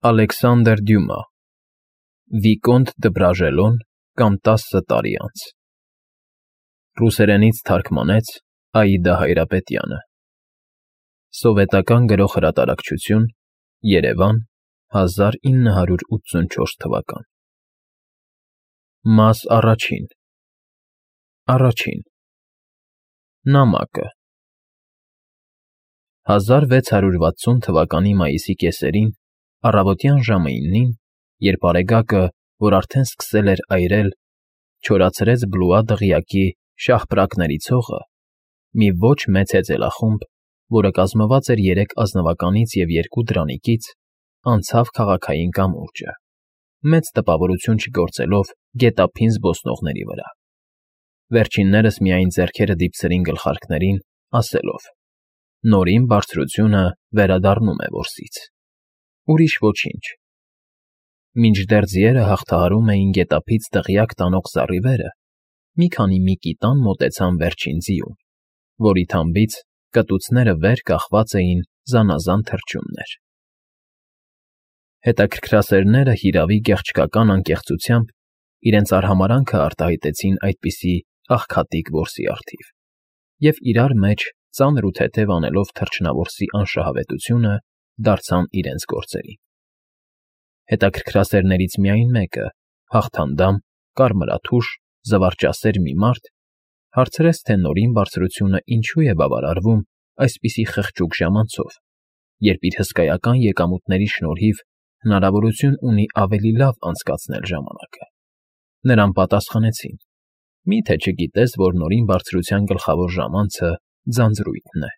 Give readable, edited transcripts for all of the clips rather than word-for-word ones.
Ալեքսանդր Դյումա Վիկոնտ դը Բրաժելոն կամ 10 տարի անց Ռուսերենից թարգմանեց Աիդա Հայրապետյանը Սովետական Գրող Հրատարակչություն Երևան 1984 թվական Մաս առաջին Նամակը 1660 թվականի մայիսի կեսերին առավոտյան ժամը 9-ին, երբ արեգակը, որ արդեն սկսել էր այրել, չորացրեց Բլուա դղյակի շաղպրակների ցողը, մի ոչ մեծ հեծելախումբ, որը կազմված էր 3 ազնվականից և 2 դրանիկից, անցավ քաղաքային կամուրջը, մեծ տպավորություն չգործելով գետափին զբոսնողների վրա, վերջիններս միայն ձեռքերը դիպցրին գլխարկներին, ասելով. «Նորին բարձրությունը վերադառնում է որսից»։ Ուրիշ ոչինչ։ Մինչդեռ ձիերը հաղթահարում էին գետափից դղյակ տանող զառիվերը, մի քանի միկի տան մոտեցան վերջին ձիուն, որի թամբից կտուցները վեր կախված էին զանազան թռչուններ։ Հետաքրքրասերները հիրավի գեղչկական անկեղծությամբ իրենց արհամարհանքը արտահայտեցին այդպիսի աղքատիկ որսի առթիվ և իրար մեջ ծանր ու թեթև անելով թռչնավորսի անշահավետությունը դարձան իրենց գործերին։ Հետաքրքրասերներից միայն մեկը, հաղթանդամ, կարմրաթուշ, զվարճասեր մի մարդ, հարցրեց, թե Նորին Բարձրությունը ինչու է բավարարվում այսպիսի խղճուկ ժամանցով, երբ իր հսկայական եկամուտների շնորհիվ հնարավորություն ունի ավելի լավ անցկացնել ժամանակը։ Նրան պատասխանեցին. «Մի՞թե չգիտես, որ Նորին Բարձրության գլխավոր ժամանցը ձանձրույթն է»։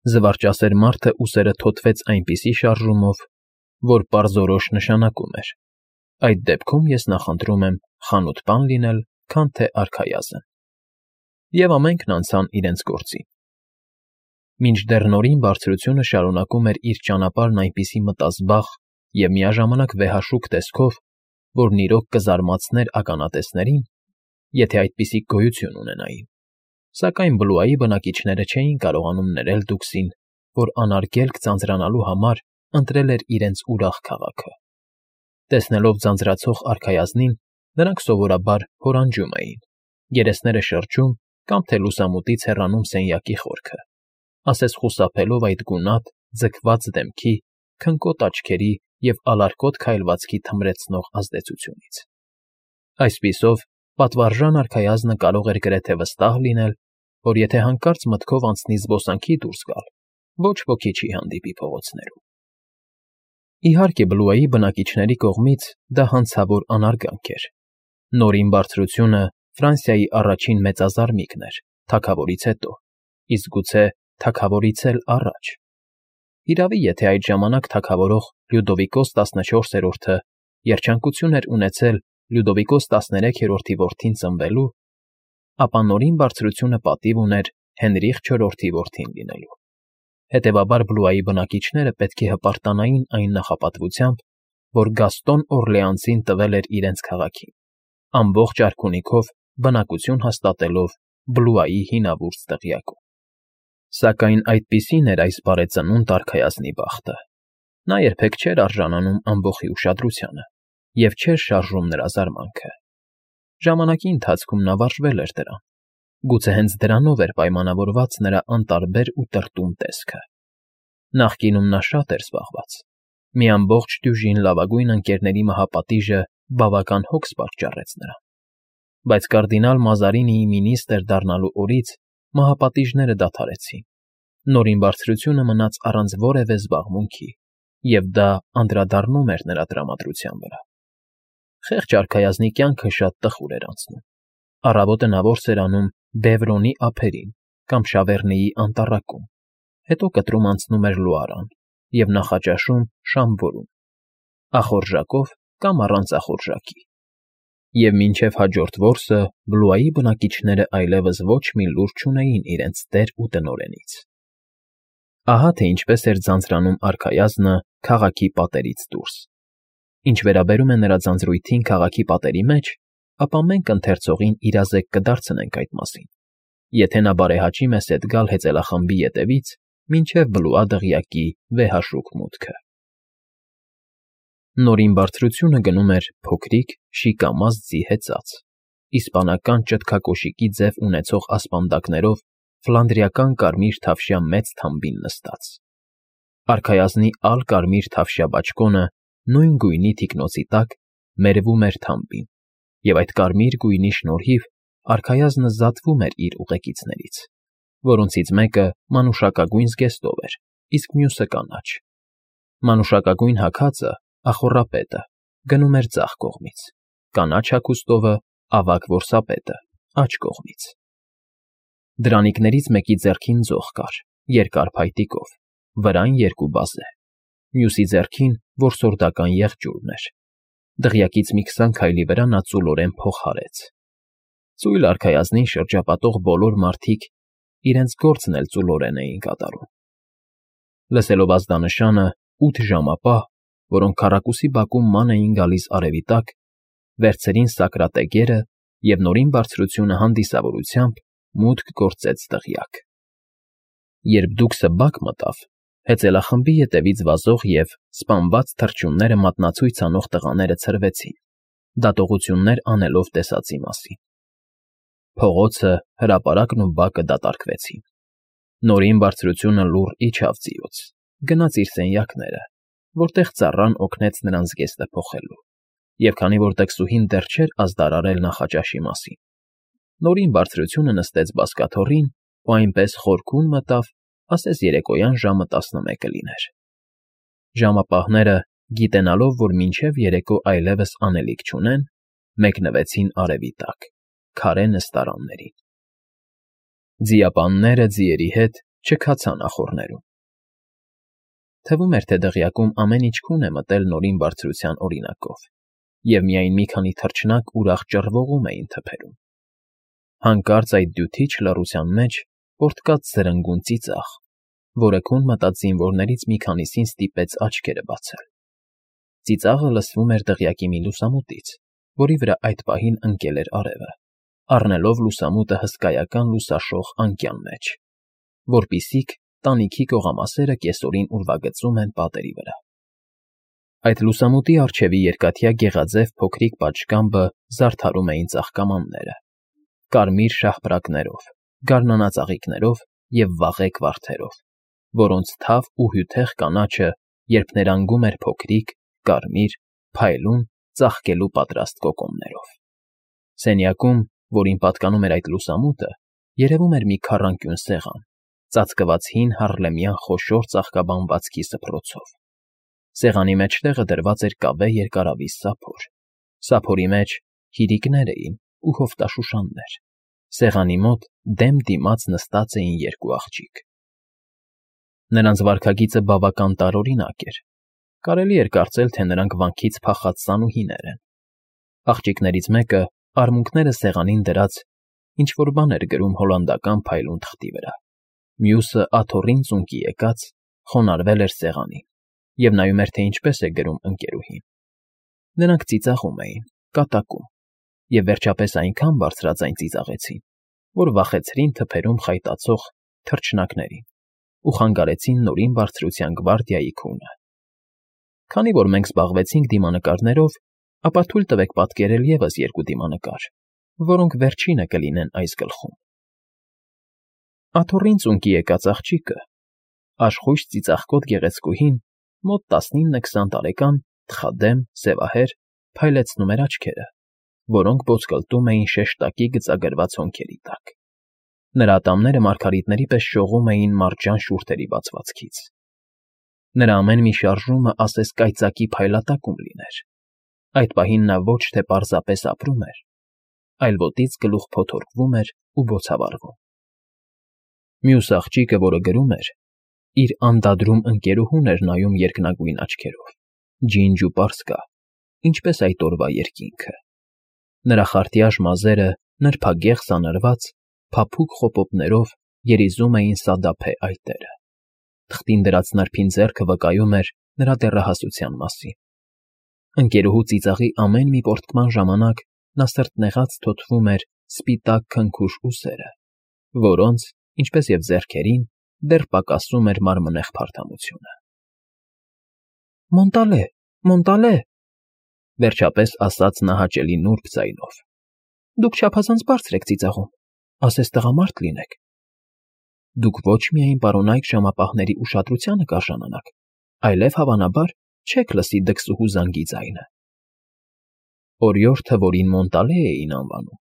Զվարճասեր մարդը ուսերը թոթվեց այնպիսի շարժումով, որ պարզորոշ նշանակում էր. «Այդ դեպքում ես նախընտրում եմ խանութպան լինել, քան թե արքայազն»։ Եվ ամենքն անցան իրենց գործին։ Մինչդեռ Նորին Բարձրությունը շարունակում էր իր ճանապարհն այնպիսի մտազբաղ և միաժամանակ վեհաշուկ տեսքով, որն իրոք կզարմացներ ականատեսներին, եթե այդպիսի գոյություն ունենային, սակայն Բլուայի բնակիչները չէին կարողանում ներել Դուքսին, որ անարգելք ձանձրանալու համար ընտրել էր իրենց ուրախ քաղաքը։ Տեսնելով ձանձրացող արքայազնին, նրանք սովորաբար հորանջում էին, երեսները շրջում կամ թե լուսամուտից հեռանում սենյակի խորքը, ասես խուսափելով այդ գունատ, ձգված դեմքի, քնկոտ աչքերի և ալարկոտ քայլվածքի թմրեցնող ազդեցությունից։ Այսպիսով, պատվարժան արքայազնը կարող էր գրեթե վստահ լինել, որ եթե հանկարծ մտքով անցնի զբոսանքի դուրս գալ, ոչ ոքի չի հանդիպի փողոցներում։ Իհարկե, Բլուայի բնակիչների կողմից դա հանցավոր անարգանք էր։ Նորին Բարձրությունը Ֆրանսիայի առաջին մեծազարմիկն էր, թագավորից հետո, իսկ գուցե թագավորից էլ առաջ։ Հիրավի, եթե այդ ժամանակ թագավորող Լյուդովիկոս 14-րդը երջանկություն էր ունեցել Լյուդովիկոս 13-րդի որդին ծնվելու, ապա Նորին Բարձրությունը պատիվ ուներ Հենրիխ IV-ի որդին լինելու։ Հետևաբար Բլուայի բնակիչները պետք է հպարտանային այն նախապատվությամբ, որ Գաստոն Օրլեանցին տվել էր իրենց քաղաքին, ամբողջ արքունիքով բնակություն հաստատելով Բլուայի հինավուրց դղյակում։ Սակայն այդպիսին էր այս բարեծնունդ արքայազնի բախտը։ Նա երբեք չէր արժանանում ամբոխի ուշադրությանը և չէր շարժում նրա զարմանքը։ Ժամանակի ընթացքում նա վարժվել էր դրան, գուցե հենց դրանով էր պայմանավորված նրա անտարբեր ու տրտում տեսքը։ Նախկինում նա շատ էր զբաղված, մի ամբողջ դյուժին լավագույն ընկերների մահապատիժը բավական հոգս պատճառեց նրան, բայց կարդինալ Մազարինիի մինիստր դառնալու օրից մահապատիժները դադարեցին, Նորին Բարձրությունը մնաց առանց որևէ զբաղմունքի, և դա անդրադառնում էր նրա տրամադրության վրա։ Խեղճ արքայազնի կյանքը շատ տխուր էր անցնում։ Առավոտը նա որս էր անում Բևրոնի ափերին կամ Շավեռնիի անտառակում, հետո կտրում անցնում էր Լուարան և նախաճաշում Շամբորում, ախորժակով կամ առանց ախորժակի։ Եվ մինչև հաջորդ որսը Բլուայի բնակիչները այլևս ոչ մի լուր չունեին իրենց տեր ու տնօրենից։ Ահա թե ինչպես էր ձանձրանում արքայազնը քաղաքի պատերից դուրս։ Ինչ վերաբերում է նրա ձանձրույթին քաղաքի պատերի մեջ, ապա մենք ընթերցողին իրազեկ կդարձնենք այդ մասին, եթե նա բարեհաճի մեզ հետ գալ հեծելախմբի ետևից մինչև Բլուա դղյակի վեհաշուկ մուտքը։ Նորին բարձրությունը գնում էր փոքրիկ, շիկամազ ձի հեծած, իսպանական ճտկակոշիկի ձև ունեցող ասպանդակներով ֆլանդրիական կարմիր թավշյա մեծ թամբին նստած։ Արքայազնի ալ-կարմիր թավշյա բաճկոնը նույն գույնի թիկնոցի տակ մերվում էր թամբին, և այդ կարմիր գույնի շնորհիվ արքայազնը զատվում էր իր ուղեկիցներից, որոնցից մեկը մանուշակագույն զգեստով էր, իսկ մյուսը կանաչ։ Մանուշակագույն հագածը, ախոռապետը, գնում էր ձախ կողմից, կանաչ հագուստովը, ավագ որսապետը, աջ կողմից։ Դրանիկներից մեկի ձեռքին ձող կար, երկար փայտիկով, վրան երկու բազե, մյուսի ձեռքին որսորդական եղջյուրն էր։ Դղյակից մի 20 քայլի վրա նա ծուլորեն փող հարեց։ Ծույլ արքայազնին շրջապատող բոլոր մարդիկ իրենց գործն էլ ծուլորեն էին կատարում։ Լսելով ազդանշանը 8 ժամապահ, որոնք քառակուսի բակում ման էին գալիս արևի տակ, վերցրին սակրատեգերը և նորին բարձրությունը հանդիսավորությամբ մուտք գործեց դղյակ։ Երբ դուքսը բակ մտավ, հեծելախմբի ետևից վազող և սպանված թռչունները մատնացույց անող տղաները ցրվեցին, դատողություններ անելով տեսածի մասին։ Փողոցը, հրապարակն ու բակը դատարկվեցին։ Նորին բարձրությունը լուռ իջավ ձիուց, գնաց իր սենյակները, որտեղ ծառան օգնեց նրան զգեստը փոխելու, և քանի որ տքսուհին դեռ չէր ազդարարել նախաճաշի մասին, նորին բարձրությունը նստեց բազկաթոռին ու այնպես խորքուն մտավ, ասես երեկոյան ժամը 11 լիներ։ Ժամապահները, գիտենալով, որ մինչև երեկո այլևս անելիք չունեն, մեկնվեցին արևի տակ, քարե նստարաններին։ Ձիապանները ձիերի հետ չքացան ախոռներում։ Թվում էր, թե դղյակում ամեն ինչ քուն է մտել նորին բարձրության օրինակով, և միայն մի քանի թռչնակ ուրախ ճռվողում էին թփերում։ Հանկարծ այդ դյութիչ լռության մեջ պոռթկաց զրնգուն ծիծաղ, որը քուն մտած զինվորներից մի քանիսին ստիպեց աչքերը բացել։ Ծիծաղը լսվում էր դղյակի մի լուսամուտից, որի վրա այդ պահին ընկել էր արևը, առնելով լուսամուտը հսկայական լուսաշող անկյան մեջ, որպիսիք տանիքի կողամասերը կեսօրին ուրվագծում են պատերի վրա։ Այդ լուսամուտի առջևի երկաթյա գեղաձև փոքրիկ պատշգամբը զարդարում էին ծաղկամանները, կարմիր շաղպրակներով, գարնանածաղիկներով և վաղեկ վարդերով, որոնց թավ ու հյութեղ կանաչը երբ ներանգում էր փոքրիկ, կարմիր, փայլուն, ծաղկելու պատրաստ կոկոմներով։ Սենյակում, որին պատկանում էր այդ լուսամուտը, երևում էր մի քառանկյուն սեղան, ծածկված հին հարլեմյան խոշոր ծաղկաբանվածքի սփռոցով։ Սեղանի մեջտեղը դրված էր կավե երկարավիզ սափոր, սափորի մեջ հիրիկներ էին ու հովտաշուշաններ, սեղանի մոտ դեմ դիմաց նստած էին երկու աղջիկ։ Նրանց վարքագիծը բավական տարօրինակ էր, կարելի էր կարծել, թե նրանք վանքից փախած սանուհիներ են։ Աղջիկներից մեկը, արմունկները սեղանին դրած, ինչ֊որ բան էր գրում հոլանդական փայլուն թղթի վրա, մյուսը աթոռին ծունկի եկած, խոնարհվել էր սեղանին և նայում էր, թե ինչպես է գրում ընկերուհին։ Նրանք ծիծաղում էին, կատակում, և վերջապես այնքան բարձրաձայն ծիծաղեցին, որ վախեցրին թփերում խայտացող թռչնակներին ու խանգարեցին նորին բարձրության գվարդիայի քունը։ Քանի որ մենք զբաղվեցինք դիմանկարներով, ապա թույլ տվեք պատկերել ևս երկու դիմանկար, որոնք վերջինը կլինեն այս գլխում։ Աթոռին ծունկի եկած աղջիկը, աշխույժ ծիծաղկոտ գեղեցկուհին, մոտ 19-20 տարեկան, թխադեմ, սևահեր, փայլեցնում էր աչքերը, որոնք ոսկլտում էին շեշտակի գծագրված հոնքերի տակ։ Նրա ատամները մարգարիտների պես շողում էին մարջան շուրթերի բացվածքից։ Նրա ամեն մի շարժումը ասես կայծակի փայլատակում լիներ։ Այդ պահին նա ոչ թե պարզապես ապրում էր, այլ ոտից գլուխ փոթորկվում էր ու բոցավառվում։ Մյուս աղջիկը, որը գրում էր, իր անդադրում ընկերուհուն էր նայում երկնագույն աչքերով, ջինջ ու պարսկա, ինչպես այդ օրվա երկինքը։ Նրա խարտյաշ մազերը, նրբագեղ սանրված, փափուկ խոպոպներով երիզում էին սադափե այտերը։ Թղթին դրած նրբին ձեռքը վկայում էր նրա դեռահասության մասին։ Ընկերուհու ծիծաղի ամեն մի պոռթկման ժամանակ նա սրտնեղած թոթվում էր սպիտակ քնքուշ ուսերը, որոնց, ինչպես և ձեռքերին, դեռ պակասում էր մարմնեղ փարթամությունը։ «Մոնտալե, Մոնտալե, վերջապես ասաց նա հաճելի նուրբ ձայնով։ Դուք չափազանց բարձր եք ծիծաղում, ասես տղամարդ լինեք։ Դուք ոչ միայն պարոնայք ժամապահների ուշադրությանը կարժանանաք, այլև հավանաբար չեք լսի դքսուհու զանգի ձայնը։ Օրիորդը, որին Մոնտալե էին անվանում,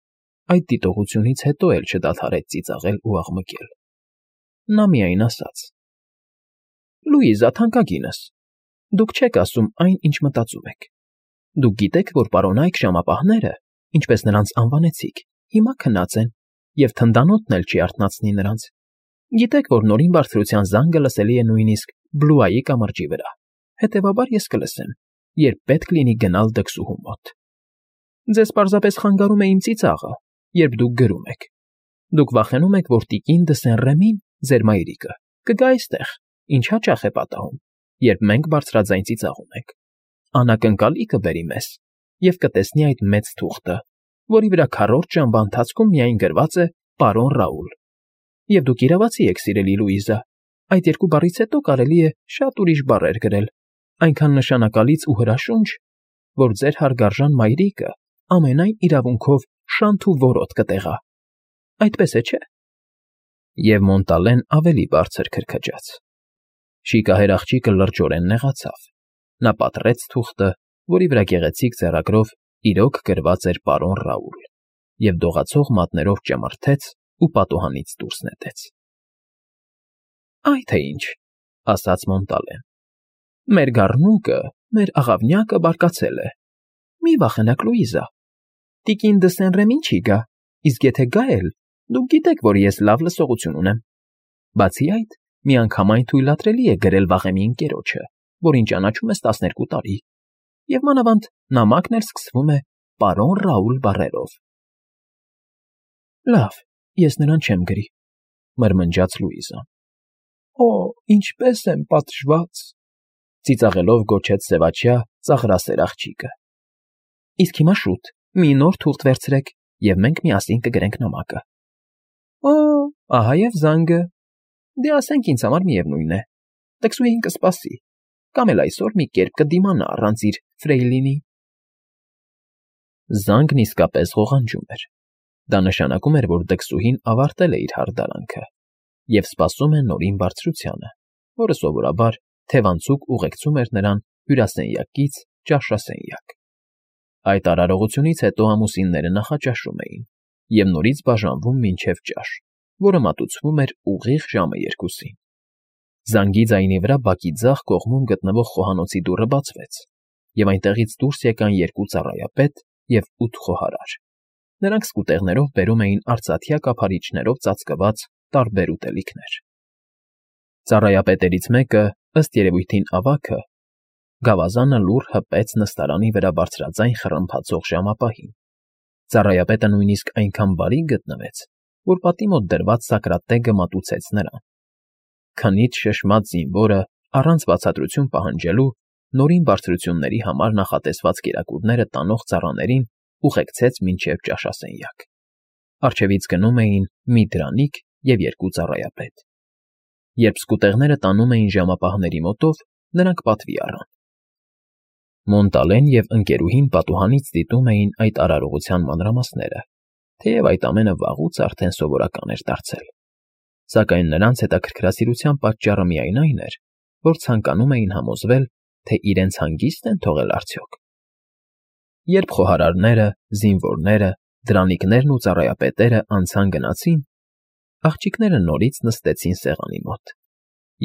այդ դիտողությունից հետո էլ չդադարեց ծիծաղել ու աղմկել։ Նա միայն ասաց. Լուիզա, թանկագինս, դուք չեք ասում այն, ինչ մտածում եք։ Դուք գիտեք, որ պարոնայք ժամապահները, ինչպես նրանց անվանեցիք, հիմա քնած են, և թնդանոթն էլ չի արթնացնի նրանց։ Գիտեք, որ նորին բարձրության զանգը լսելի է նույնիսկ Բլուայի կամրջի վրա, հետևաբար ես կլսեմ, երբ պետք լինի գնալ դքսուհու մոտ։ Ձեզ պարզապես խանգարում է իմ ծիծաղը, երբ դուք գրում եք։ Դուք վախենում եք, որ տիկին Դսեն-Ռեմին, ձեր մայրիկը, կգա այստեղ, ինչ հաճախ է պատահում, երբ մենք բարձրաձայն ծիծաղում ենք։ Անակնկալի կբերի մեզ և կտեսնի այդ մեծ թուղթը, որի վրա քառորդ ժամվա ընթացքում միայն գրված է «Պարոն Ռաուլ»։ Եվ դուք իրավացի եք, սիրելի Լուիզա, այդ երկու բառից հետո կարելի է շատ ուրիշ բառեր գրել, այնքան նշանակալից ու հրաշունչ, որ ձեր հարգարժան մայրիկը ամենայն իրավունքով շանթ ու որոտ կտեղա։ Այդպես է, չէ՞։ Եվ Մոնտալեն ավելի բարձր քրքջաց։ Շիկահեր աղջիկը լրջորեն նեղացավ։ Նա պատռեց թուղթը, որի վրա գեղեցիկ ձեռագրով իրոք գրված էր «Պարոն Ռաուլ» և դողացող մատներով ճմրթեց ու պատուհանից դուրս նետեց։ Այ թե ինչ, ասաց Մոնտալեն։ Մեր գառնուկը, մեր աղավնյակը բարկացել է։ Մի վախենաք, Լուիզա։ Տիկին Դսեն-Ռեմին չի գա, իսկ եթե գա էլ, դուք գիտեք, որ ես լավ լսողություն ունեմ։ Բացի այդ, միանգամայն թույլատրելի է գրել վաղեմի ընկերոջը, որին ճանաչում ես 12 տարի, և մանավանդ նամակն էլ սկսվում է «Պարոն Ռաուլ» բառերով։ Լավ, ես նրան չեմ գրի, մրմնջաց Լուիզան։ Օ, ինչպես եմ պատժված, ծիծաղելով գոչեց սևաչյա ծաղրասեր աղջիկը։ Իսկ հիմա շուտ, մի նոր թուղթ վերցրեք, և մենք միասին կգրենք նամակը։ Օ, ահա և զանգը։ Դե ասենք ինձ համար միևնույն է։ Տկսուհին կսպասի, կամ էլ այսօր մի կերպ կդիմանա առանց իր ֆրեյլինի։ Զանգն իսկապես ղողանջում էր։ Դա նշանակում էր, որ դքսուհին ավարտել է իր հարդարանքը և սպասում է նորին բարձրությանը, որը սովորաբար թևանցուկ ուղեկցում էր նրան հյուրասենյակից ճաշասենյակ։ Այդ արարողությունից հետո ամուսինները նախաճաշում էին և նորից բաժանվում մինչև ճաշ, որը մատուցվում էր ուղիղ ժամը 2-ին։ Զանգի ձայնի վրա բակի ձախ կողմում գտնվող խոհանոցի դուռը բացվեց, և այնտեղից դուրս եկան 2 ծառայապետ և 8 խոհարար։ Նրանք սկուտեղներով բերում էին արծաթյա կափարիչներով ծածկված տարբեր ուտելիքներ։ Ծառայապետերից մեկը, ըստ երևույթին ավագը, գավազանը լուռ հպեց նստարանի վրա բարձրաձայն խռմփացող ժամապահին։ Ծառայապետը նույնիսկ այնքան բարի գտնվեց, որ պատի մոտ դրված սակրատեգը մատուցեց նրան։ Քնից շշմած զինվորը, առանց բացատրություն պահանջելու, նորին բարձրությունների համար նախատեսված կերակուրները տանող ծառաներին ուղեկցեց մինչև ճաշասենյակ։ Առջևից գնում էին մի դրանիկ և 2 ծառայապետ։ Երբ սկուտեղները տանում էին ժամապահների մոտով, նրանք պատվի առան։ Մոնտալեն և ընկերուհին պատուհանից դիտում էին այդ արարողության մանրամասները, թեև այդ ամենը վաղուց արդեն սովորական էր դարձել։ Սակայն նրանց հետաքրքրասիրության պատճառը միայն այն էր, որ ցանկանում էին համոզվել, թե իրենց հանգիստ են թողել արդյոք։ Երբ խոհարարները, զինվորները, դրանիկներն ու ծառայապետերը անցան֊գնացին, աղջիկները նորից նստեցին սեղանի մոտ,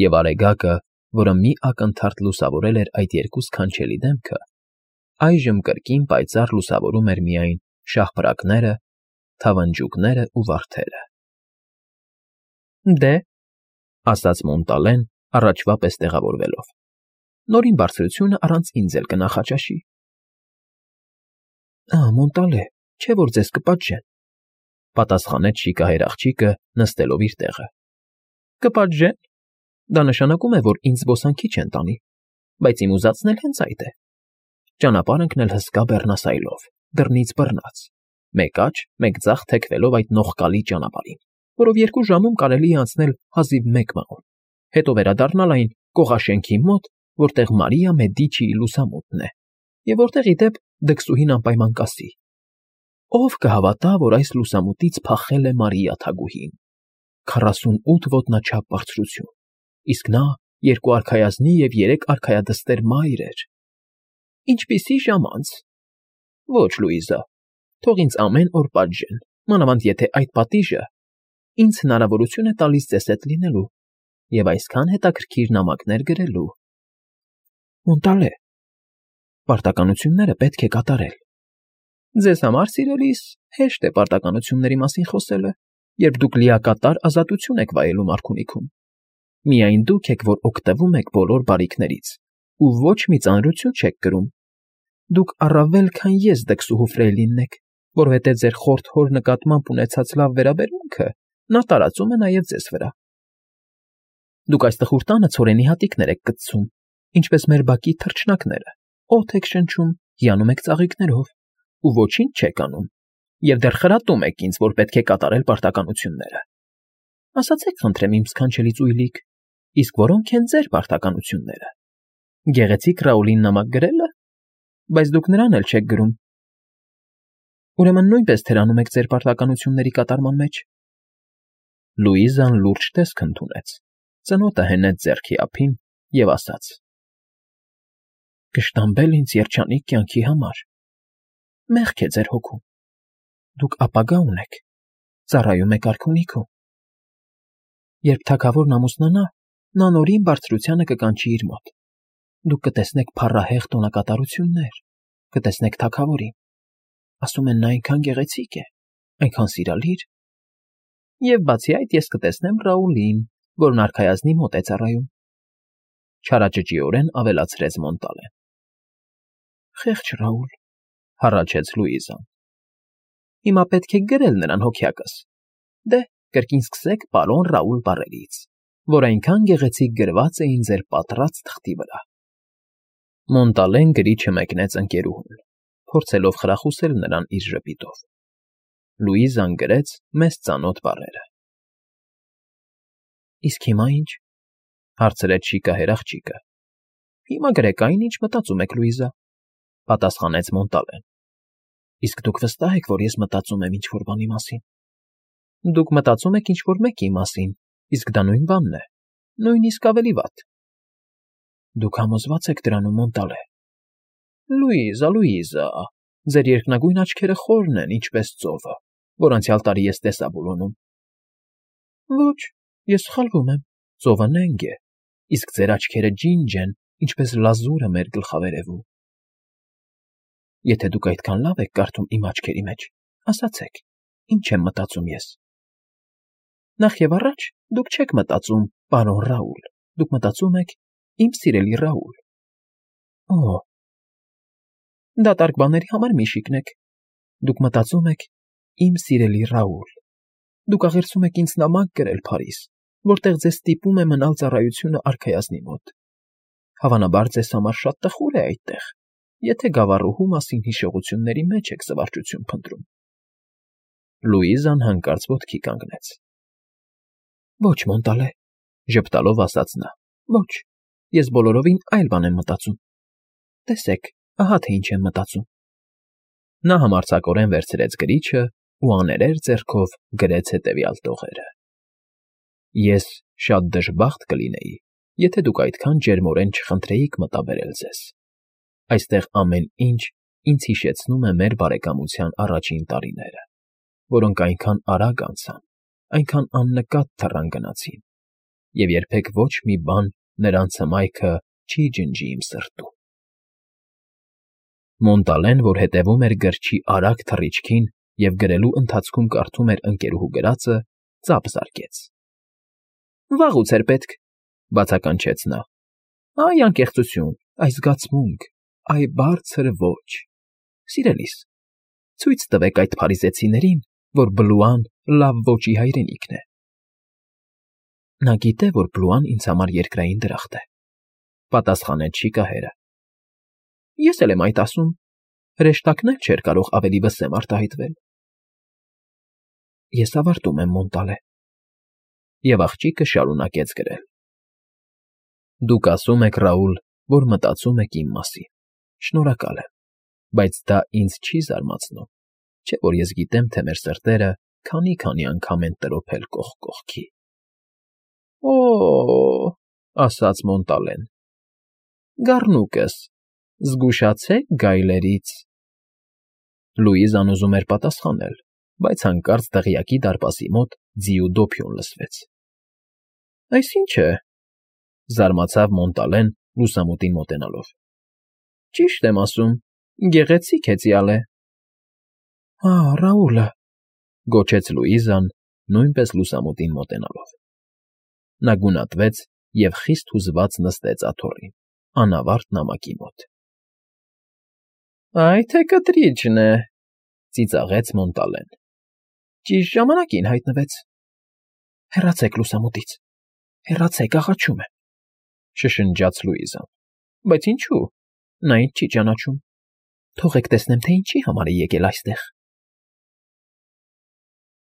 և Արեգակը, որը մի ակնթարթ լուսավորել էր այդ երկու սքանչելի դեմքը, այժմ կրկին պայծառ լուսավորում էր միայն շաղփրակները, թավնջուկները ու վարդերը։ Դե, ասաց Մոնտալեն, առաջվա պես տեղավորվելով, նորին բարձրությունը առանց ինձ էլ կնախաճաշի։ Մոնտալե, չէ՞ որ ձեզ կպատժեն, պատասխանեց շիկահեր աղջիկը, նստելով իր տեղը։ Կպատժեն։ Դա նշանակում է, որ ինձ զբոսանքի չեն տանի, բայց իմ ուզածն էլ հենց այդ է։ Ճանապարհ ընկնել հսկա բեռնասայլով, դռնից բռնած, մեկ աջ, մեկ ձախ թեքվելով այդ նողկալի ճանապարհին, որով 2 ժամում կարելի է անցնել հազիվ 1 մղոն, հետո վերադառնալ այն կողաշենքի մոտ որտեղ Մարիա Մեդիչիի լուսամուտն է, և որտեղ, ի դեպ, դքսուհին անպայման կասի. ով կհավատա, որ այս լուսամուտից փախել է Մարիա թագուհին, 48 ոտնաչափ բարձրություն, իսկ նա 2 արքայազնի և 3 արքայադստեր մայր էր։ Ինչպիսի ժամանց։ Ոչ, Լուիզա, թող ինձ ամեն օր պատժեն, մանավանդ եթե այդ պատիժը ինձ հնարավորություն է տալիս ձեզ հետ լինելու և այսքան հետաքրքիր նամակներ գրելու։ Մոնտալե, պարտականությունները պետք է կատարել։ Ձեզ համար, սիրելիս, հեշտ է պարտականությունների մասին խոսելը, երբ դուք լիակատար ազատություն եք վայելում արքունիքում։ Միայն դուք եք, որ օգտվում եք բոլոր բարիքներից ու ոչ մի ծանրություն չեք կրում։ Դուք առավել քան ես դքսուհու Ֆրեյլինն եք, որովհետև ձեր խորթ հոր նկատմամբ ունեցած լավ վերաբերմունքը նա տարածում է նաև ձեզ վրա։ Դուք այս տխուր տանը ցորենի հատիկներ եք կծում, ինչպես մեր բակի թռչնակները, օդ եք շնչում, հիանում եք ծաղիկներով ու ոչինչ չեք անում, և դեռ խրատում եք ինձ, որ պետք է կատարել պարտականությունները։ Ասացեք, խնդրեմ, իմ սքանչելի ծույլիկ, իսկ որոնք են ձեր պարտականությունները։ Գեղեցիկ Ռաուլին նամակ գրելը, բայց դուք նրան էլ չեք գրում։ Ուրեմն նույնպես թերանում եք ձեր պարտականությունների կատարման մեջ։ Լուիզան լուրջ տեսք ընդունեց, ծնոտը հենեց ձեռքի ափին և ասաց. Կշտամբել ինձ երջանիկ կյանքի համար։ Մեղք է ձեր հոգում։ Դուք ապագա ունեք, ծառայում եք արքունիքում։ Երբ թագավորն ամուսնանա, նա նորին բարձրությանը կկանչի իր մոտ։ Դուք կտեսնեք փառահեղ տոնակատարություններ, կտեսնեք թագավորին։ Ասում են, նա այնքան գեղեցիկ է, այնքան սիրալիր։ Եվ բացի այդ ես կտեսնեմ Ռաուլին, որն արքայազնի մոտ է ծառայում։ Չարաճճիորեն ավելացրեց Մոնտալեն։ Խեղճ Ռաուլ, հառաչեց Լուիզան։ Հիմա պետք է գրել նրան հոգյակս։ Դե, կրկին սկսեք պարոն Ռաուլ բառերից, որ այնքան գեղեցիկ գրված էին ձեր պատռած թղթի վրա։ Մոնտալեն գրիչը մեկնեց ընկերուհուն, փորձելով խրախուսել նրան իր ժպիտով։ Լուիզան գրեց մեզ ծանոթ բառերը։ Իսկ հիմա ինչ, հարցրեց շիկահեր աղջիկը։ Հիմա գրեք այն, ինչ մտածում եք, Լուիզա, պատասխանեց Մոնտալեն։ Իսկ դուք վստահ եք, որ ես մտածում եմ ինչ-որ բանի մասին։ Դուք մտածում եք ինչ-որ մեկի մասին, իսկ դա նույն բանն է, նույնիսկ ավելի վատ։ Դուք համոզված եք դրանում, Մոնտալե։ Լուիզա, Լուիզա, ձեր երկնագույն աչքերը խորն են, ինչպես ծովը, որ անցյալ տարի ես տեսա Բուլոնում։ Ոչ, ես սխալվում եմ, ծովը նենգ է, իսկ ձեր աչքերը ջինջ են, ինչպես լազուրը մեր գլխավերևում։ Եթե դուք այդքան լավ եք կարդում իմ աչքերի մեջ, ասացեք, ինչ եմ մտածում ես։ Նախ և առաջ դուք չեք մտածում, պարոն Ռաուլ, դուք մտածում եք, իմ սիրելի Ռաուլ։ Օ, դատարկ բաների համար մի շիկնեք։ Դուք մտածում եք, իմ սիրելի Ռաուլ։ Դուք աղերսում եք ինձ նամակ գրել Փարիզ, որտեղ ձեզ ստիպում է մնալ ծառայությունը արքայազնի մոտ։ Հավանաբար ձեզ համար շատ տխուր է այդտեղ, եթե գավառուհու մասին հիշողությունների մեջ եք զվարճություն փնտրում։ Լուիզան հանկարծ ոտքի կանգնեց։ Ոչ, Մոնտալե, ժպտալով ասաց նա։ Ոչ, ես բոլորովին այլ բան եմ մտածում։ Տեսեք, ահա թե ինչ եմ մտածում։ Նա համարձակորեն վերցրեց գրիչը ու աներեր ձեռքով գրեց հետևյալ տողերը. Ես շատ դժբախտ կլինեի, եթե դուք այդքան ջերմորեն չխնդրեիք մտաբերել ձեզ։ Այստեղ ամեն ինչ ինձ հիշեցնում է մեր բարեկամության առաջին տարիները, որոնք այնքան արագ անցան, այնքան աննկատ թռան գնացին, և երբեք ոչ մի բան նրանց հմայքը չի ջնջի իմ սրտում։ Մոնտալեն, որ հետևում էր գրչի արագ թռիչքին և գրելու ընթացքում կարդում էր ընկերուհու գրածը, ծափ զարկեց։ Վաղուց էր պետք, բացականչեց նա։ Այ անկեղծություն, այ զգացմունք, այ բարձր ոչ։ Սիրելիս, ցույց տվեք այդ փարիզեցիներին, որ Բլուան լավ ոճի հայրենիքն է։ Նա գիտե, որ Բլուան ինձ համար երկրային դրախտ է, պատասխանեց շիկահերը։ Ես էլ եմ այդ ասում, հրեշտակն էլ չէր կարող ավելի վսեմ արտահայտվել։ Ես ավարտում եմ, Մոնտալե։ Եվ աղջիկը շարունակեց գրել։ Դուք ասում եք, Ռաուլ, որ մտածում եք իմ մասին, շնորհակալ եմ, բայց դա ինձ չի զարմացնում, չէ՞ որ ես գիտեմ, թե մեր սրտերը քանի֊քանի անգամ են տրոփել կողք կողքի։ Օ՜օ,֊ ասաց Մոնտալեն։֊ Գառնուկս, զգուշացե՛ք գայլերից… Լուիզան ուզում էր պատասխանել, բայց հանկարծ դղյակի դարպասի մոտ ձիու դոփյուն լսվեց։ ֊ Այս ի՞նչ է,֊ զարմացավ Մոնտալեն՝ լուսամուտին մոտենալով։ ֊ Ճիշտ եմ ասում, գեղեցիկ հեծյալ է։ ֊ Ահ, Ռաուլը,֊ գոչեց Լուիզան, նույնպես լուսամուտին մոտենալով։ Նա գունատվեց և խիստ հուզված նստեց աթոռին, անավարտ նամակի մոտ։ ֊ Այ թե կտրիճն է,֊ ծիծաղեց Մոնտալեն։ ֊ Ճիշտ ժամանակին հայտնվեց։ ֊ Հեռացեք լուսամուտից, հեռացեք, աղաչում եմ,֊ շշնջաց Լուիզան։ ֊ Բայց ինչո՞ւ, նա ինձ չի ճանաչում։ Թողեք տեսնեմ, թե ինչի համար է եկել այստեղ։